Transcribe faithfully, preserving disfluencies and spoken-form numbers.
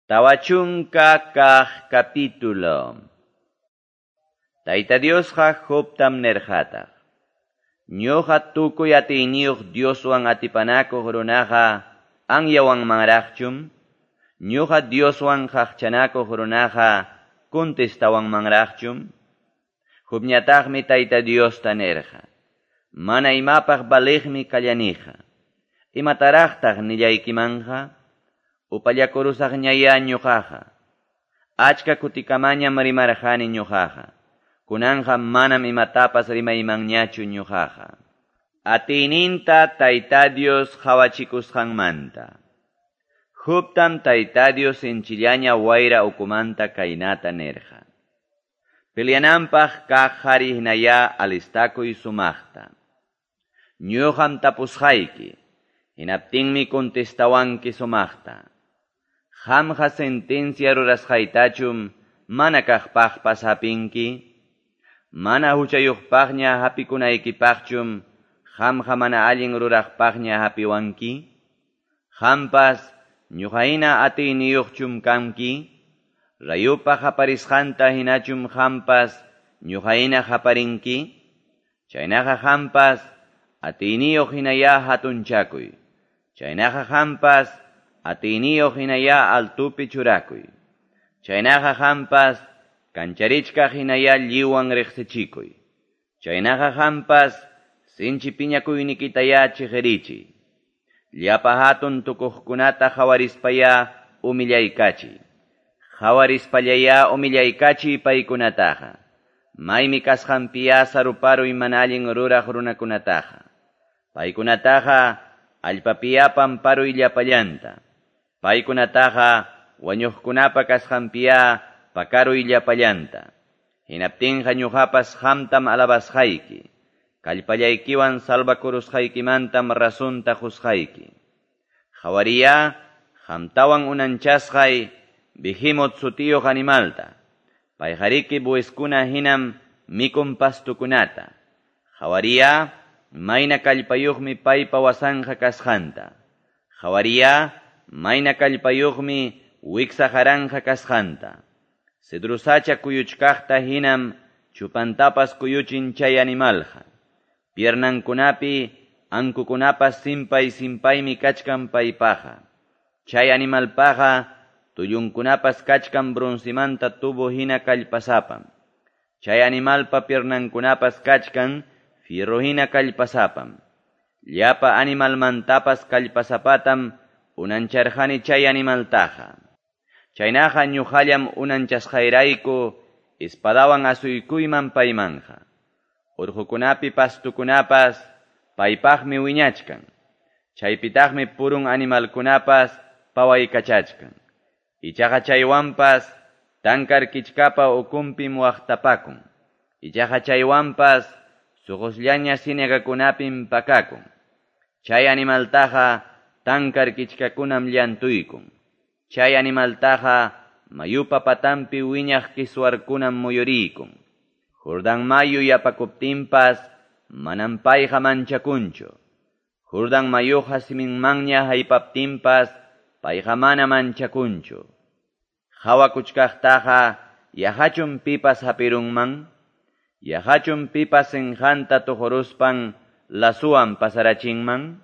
Tawa chunka kaq capítulo. Tayta Diosqa Jobtam nirqataq. Ñuqa tukuy atiyniyuq Dioswan atipanakuq runaqa anyawanmanraqchum? Ñuqa Dioswan qaqchanakuq runaqa contestawanmanraqchum? Jobñataqmi Tayta Diosta nirqa. Mana imapaq valiqmi kallaniqa. Imataraqtaq nillaykimanqa? Upallakurusaqñaya ñuqaqa. Achka kutikamañam rimarqani ñuqaqa. Kunanqa manam imatapas rimaymanñachu ñuqaqa. Atiyninta Tayta Dios qawachikusqanmanta. Jobtam Tayta Dios sinchillaña wayra ukumanta kaynata nirqa. Peleananpaq kaq qhari hinaya alistakuy sumaqta. Ñuqam tapusqayki, hinaptinmi contestawanki sumaqta. Qamqa sentencia rurasqaytachum mana kaqpaqpas hapinki? Mana huchayuqpaqña hapikunaykipaqchum qamqa mana allin ruraqpaqña hapiwanki? Qampas ñuqahina atiyniyuqchum kanki? Rayupa qaparisqanta hinachum qampas ñuqahina qaparinki? Chaynaqa qampas atiyniyuq hinaya hatunchakuy. Chaynaqa qampas atiyniyuq hinaya altupi churakuy. Chaynaqa qampas kancharichkaq hinaya lliwan riqsichikuy. Chaynaqa qampas sinchi piñakuynikitaya chiqirichiy. Llapa hatun tukuqkunata qhawarispaya humillaykachiy. Qhawarispallaya humillaykachiy paykunataqa. Maymi kasqanpiya saruparuy mana allin ruraq runakunataqa. Paykunataqa allpapiya pamparuy llapallanta. Paykunataqa wañuqkunapa kasqanpiya pakaruy llapallanta. Hinaptinqa ñuqapas qamtam alabasqayki. Kallpallaykiwan salvakurusqaykimantam razonta qusqayki. Qhawariya qamtawan unanchasqay Behemot sutiyuq animalta. Payqariki buiskuna hinam mikun pastukunata. Qhawariya mayna kallpayuqmi paypa wasanqa kasqanta. Qhawariya mayna kallpayuqmi wiksa haranqa kasqanta. Cedrusacha kuyuchkaqta hinam chupantapas kuyuchin chay animalqa. Piernankunapi ankukunapas simpay simpaymi kachkan paypaqa. Chay animalpaqa tullunkunapas kachkan broncimanta tubo hina kallpasapam. Chay animalpa piernankunapas kachkan fierro hina kallpasapam. Llapa animalmantapas kallpasapatam unancharqani chay animaltaqa. Chaynaqa ñuqallam unanchasqayrayku espadawan asuykuyman paymanja. Urqukunapi pastukunapas paypaqmi wiñachkan. Chaypitaqmi purun animalkunapas pawaykachachkan. Ichaqa chaywanpas tankar kichkapa ukunpim waqtapakun. Ichaqa chaywanpas suqusllaña sinagakunapim pakakun. Chay animaltaqa tankar kichkakunam llantuykun. Chay animaltaqa mayupa patampi wiñaq kiswarkunam muyuriykun. Jordán mayu yapakuptinpas manam payqa manchakunchu. Jordán mayuqa siminmanña haypaptinpas payqa mana manchakunchu. Hawakuchkaqtaqa yahachum pipas hapirunman? Yahachum pipas sinjanta tuquruspan lasuwan pasarachinman?